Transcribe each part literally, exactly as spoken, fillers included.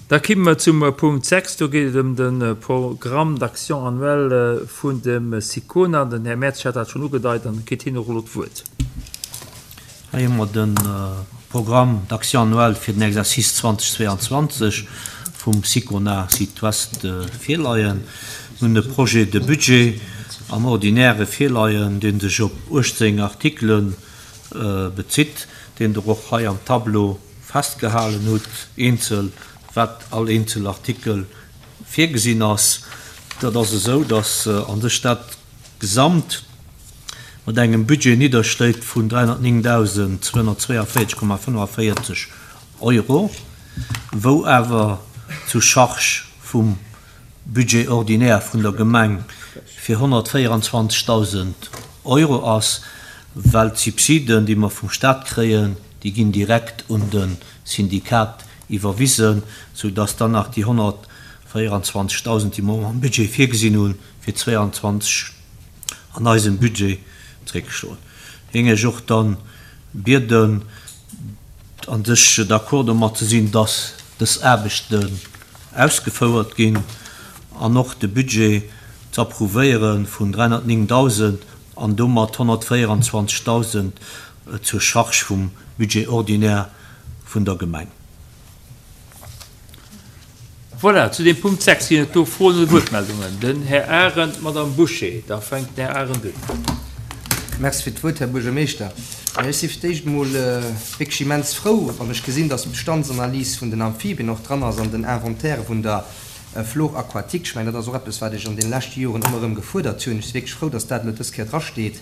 Da komme mer zum Punkt sechs. Do geet et ëm de Programme d'action annuel vun dem SICONA. Den Här Mertz hat dat schonn ugedeit an kritt hien och elo d'Wuert. Hei hu mer de Programme d'action annuel fir den Exercice zweitausendzweiundzwanzeg vum SICONA Sud-Ouest virleien. Mir hunn e Projet de budget am Ordinaire virleien, dee sech op uechtzéng Artikele bezitt, deen Der och hei am Tableau festgehalen hutt, eenzel, wat all eenzel Artikel virgesinn ass. Dat ass esou, dass a sech dat Gesamt mat engem Budget nidderschléit vun dräihunnertnéngtausendzweihunnertzweiundvéierzeg Komma fënnefenvéierzeg Euro, wou awer zu Charge vum Budget ordinaire vun der Gemeng fir honnertvéieranzwanzegtausend Euro ass, well d'Subsiden, déi mer vum Staat kréien, déi ginn direkt un de Syndikat iwwerwisen, soudass dann nach déi honnertvéieranzwanzegtausend, déi mer am Budget virgesinn hunn, fir zweiundzwanzeg an eisem Budget zréckstoen. Géing ech och dann bieden, an sech d'accord domat ze sinn, dass dës Aarbechten ausgefouert ginn an och de Budget ze approuvéiere vun dräihunnertnéngtausend an domat honnertvéieranzwanzegtausend zur Charge vum Budget ordinaire vun der Gemeng. Voilà, zu dem Punkt sechs ginn et do Froen oder Wuertmeldungen. Den Här Arendt, d'Madame Bouché. Da fänkt den Här Arendt un. Merci fir d'Wuert, Här Buergermeeschter. Ech si fir d'éischt emol wierklech immens frou, wann ech gesinn, dass d'Bestandsanalys vun den Amphibien och dran ass an den Inventaire vun der Flore aquatique. Ech mengen, dat ass och eppes, wat ech an deene leschte Joren ëmmer erëm gefuerdert hunn. Ech si wierklech frou, dass dat elo dës Kéier drasteet.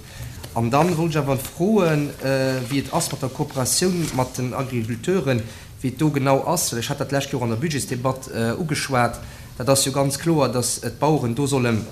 An dann wollt ech awer froen, wéi et ass mat der Kooperatioun mat den Agriculteuren, wéi et do genau ass, well ech hat dat d'lescht Joer an der Budgetsdebatt ugeschwat. Dat ass jo ganz kloer, dass d'Baueren do sollen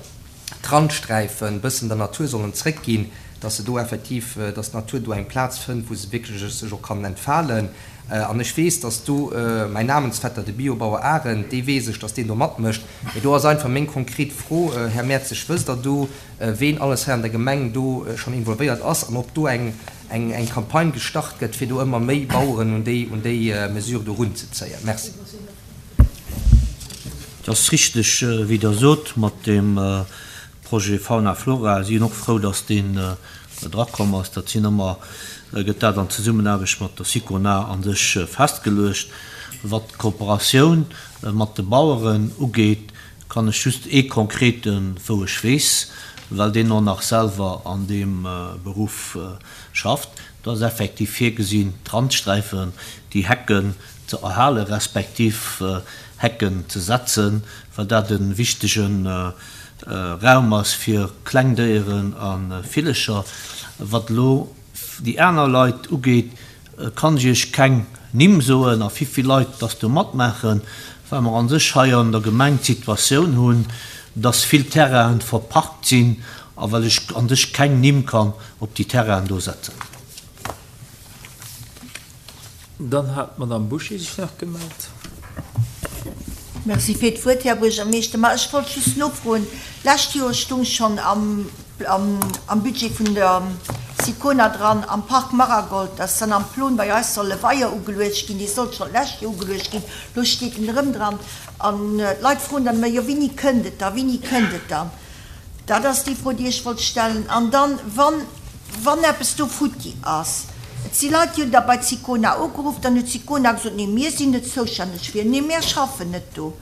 d'Randsträifen e bëssen der Natur sollen zréckginn, dass se do effektiv, dass d'Natur do eng Plaz fënnt, wou se wierklech sech och kann entfalen. An ech weess, dass do mäin Namensvetter, de Biobauer Arendt, dee weess ech, dass deen do matmécht. Mee do ass einfach meng konkret Fro, Här Mertzig, wësst Der do, ween alles hei an der Gemeng do schonn involvéiert ass an ob do eng eng Campagne gestart gëtt, fir do ëmmer méi Baueren un déi un déi Mesure do erunzezéien? Merci. Et ass richteg, wéi Der sot, mat deem Projet Fauna Flora. Si sinn och frou, dass deen drakomm ass. Dat sinn ëmmer, gëtt dat an Zesummenaarbecht mat der SICONA a sech festgeluecht. Wat d'Kooperatioun mat de Baueren ugeet, kann ech just ee konkreten, wou ech weess, well deen och nach selwer an deem Beruff schafft, do ass effektiv virgesinn, d'Randsträifen, déi Hecken ze erhalen, respektiv Hecken ze setzen, well dat e wichtege Raum ass fir Klengdéieren a Villecher. Wat elo déi aner Leit ugeet, kann ech Iech keng Nimm soen a wéi vill Leit dass do matmaachen, well mer an sech hei an der Gemeng d'Situatioun hunn, dass vill Terrainen verpacht sinn a well ech an sech keng Nimm kann op déi Terrainen do setzen. Dann hat d'Madame Bouché sech nach gemellt. Merci fir d'Wuert, Här Buergermeeschter. Ma ech wollt just nofroen, D'lescht Joer stung schonn am am Budget vun der SICONA dran, am Park Maragold, dass dann am Plon bei eis soll e Weier ugeluecht ginn. Dee sollt schonn d'lescht Joer ugeluecht ginn, elo steet en erëm dran. An d'Leit froen dann ëmmer, jo wéini kënnt et da, wéini kënnt et dann? Dat ass déi Fro, déi ech wollt stellen. An dann, wann, wann eppes do futti ass, et si Leit, déi hunn da bei d'SICONA ugeruff, dann huet d'SICONA gesot, nee mir sinn net zoustänneg fir, nee mär schaffen net do.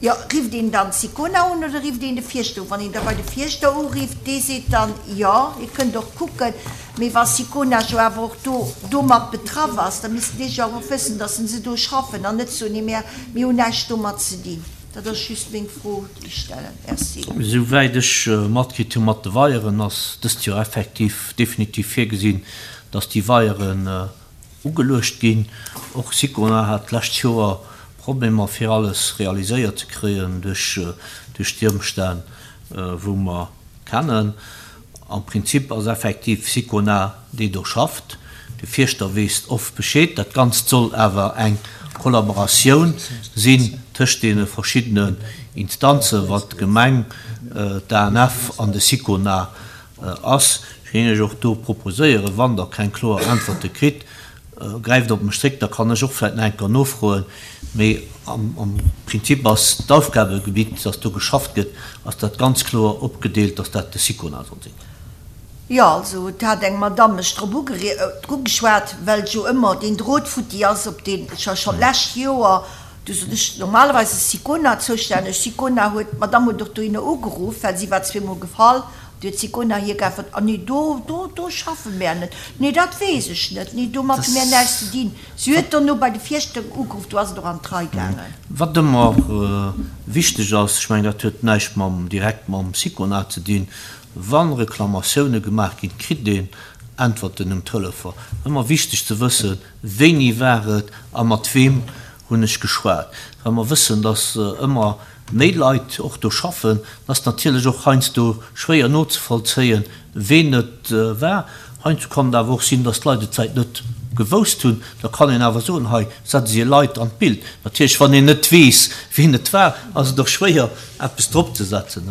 Jo, rifft een dann d'SICONA un oder rifft een de Fierschter un? Wann een da bei de Fierschter urifft, dee seet dann, jo, Dir kënnt och kucken, mee wa SICONA jo awer och do domat betraff ass, da missten déi jo awer och wëssen, dass se do schaffen an net soen, nee, mär, mir hunn näischt domat ze dinn. Dat ass just meng Fro, déi ech stellen. Merci. Souwäit ech matkritt hu mat de Weieren, ass dëst Joer effektiv definitiv virgesinn, dass déi Weieren ugeluecht ginn. Och SICONA hat d'lescht Joer Problemer fir alles realiséiert ze kréien duerch duerch déi Ëmstänn, wou mer kennen. Am Prinzip ass effektiv SICONA, déi do schafft. De Fierschter weess oft Bescheed. Dat Ganzt soll awer eng Kollaboratioun sinn tëscht deene verschiddenen Instanzen, wat d'Gemeng, d'A N F an de SICONA ass. Ech géing Iech och do proposéieren, wann Der keng kloer Äntwerte kritt, gräift op mech zréck, da kann ech och vläicht nach eng Kéier nofroen. Mee Am Prinzip ass d'Aufgabegebitt, dass do geschafft gëtt, ass dat ganz kloer opgedeelt, dass dat de Sicona soll sinn. Jo, also et hat eng Madamm mech drop ugeschwat, well jo ëmmer deen Drot futti ass, op deen ech jo schonn d'lescht Joer, du sot ech, normalerweis ass Sicona zoustänneg, Sicona huet, d'Madamm huet och dohinner ugeruff, well si war zweemol gefall, du huet Sicona hir geäntwert, ah nee, do, do, do schaffe mär net, nee, dat weess ech net, nee, domat hu mär näischt ze dinn. Si huet dono bei de Fierschter ugeruff, do ass et och an d'Rei gaangen. Wat ëmmer wichteg ass, ech mengen, dat huet näischt mam, direkt mam Sicona ze dinn, Wa Reklamatioune gemaach ginn, kritt een Äntwerten um Telefon. Ëmmer wichteg ze wëssen, wéini war et a mat weem hunn ech geschwat. Well mer wëssen, datt ëmmer méi Leit och do schaffen, ass natierlech och heiansdo schwéier nozevollzéien, ween et war. Heiansdo kann et awer och sinn, datt d'Leit et vläicht net gewousst hunn. Da kann een awer soen, hei setze si Leit an d'Bild. Natierlech, wann een net weess, ween et war, ass et och schwéier, eppes dropzesetzen.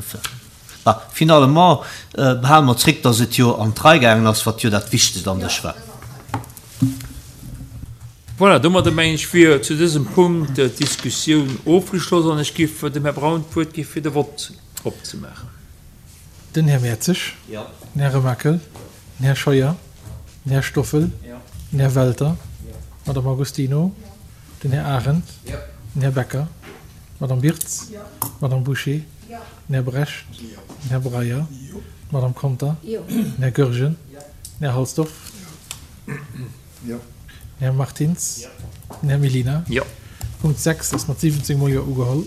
Bah, finalement behale mer zréck, dass et jo an d'Rei gaangen ass, wat jo dat Wichtegst an sech war. Voilà, domadder mengen ech wier zu dësem Punkt d'Diskussioun ofgeschloss an ech giff dem Här Braun d'Wuert gi fir de Vott opzemaachen. Den Här Mertzig. Den Här Remakel. Den Här Scheuer. Den Här Stoffel. Den Här Welter. D'Madame Agostino. Den Här Arendt. Den Här Becker. D'Madame Birtz. D'Madame Bouché. Den Här Brecht, den Här Breyer, d'Madame Conter, den Här Goergen, den Här Halsdorf, den Här Martins, den Här Mellina. Punkt sechs ass mat siwwenzéng mol Jo ugeholl.